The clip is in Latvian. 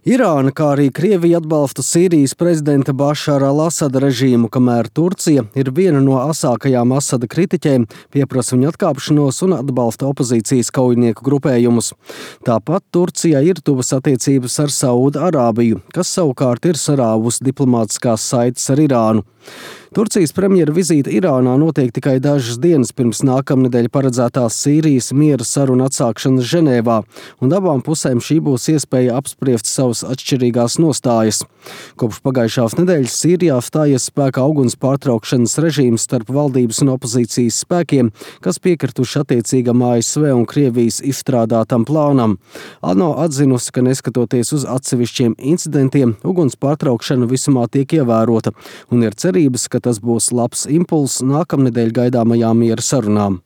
Irāna, kā arī Krievija atbalsta Sīrijas prezidenta Bašara al-Asada režīmu, kamēr Turcija ir viena no asākajām Asada kritiķiem, pieprasa viņa atkāpšanos un atbalsta opozīcijas kaujinieku grupējumus. Tāpat Turcijai ir tuvas attiecības ar Saūda Arābiju, kas savukārt ir sarāvusi diplomātiskās saites ar Irānu. Turcijas premjera vizīte Irānā notiek tikai dažas dienas pirms nākamnedēļ paredzētās Sīrijas miera saruna atsākšanas Ženēvā, un abām pusēm šī būs iespēja apspriest savas atšķirīgās nostājas. Kopš pagājušās nedēļas Sīrijā stājies spēkā uguns pārtraukšanas režīms starp valdības un opozīcijas spēkiem, kas piekrituši attiecīgam ASV un Krievijas izstrādātam plānam. ANO atzinusi, ka neskatoties uz atsevišķiem incidentiem, uguns pārtraukšana visumā tiek ievērota, un ir cerības, ka tas būs labs impulss nākamnedēļ gaidāmajām miera sarunām.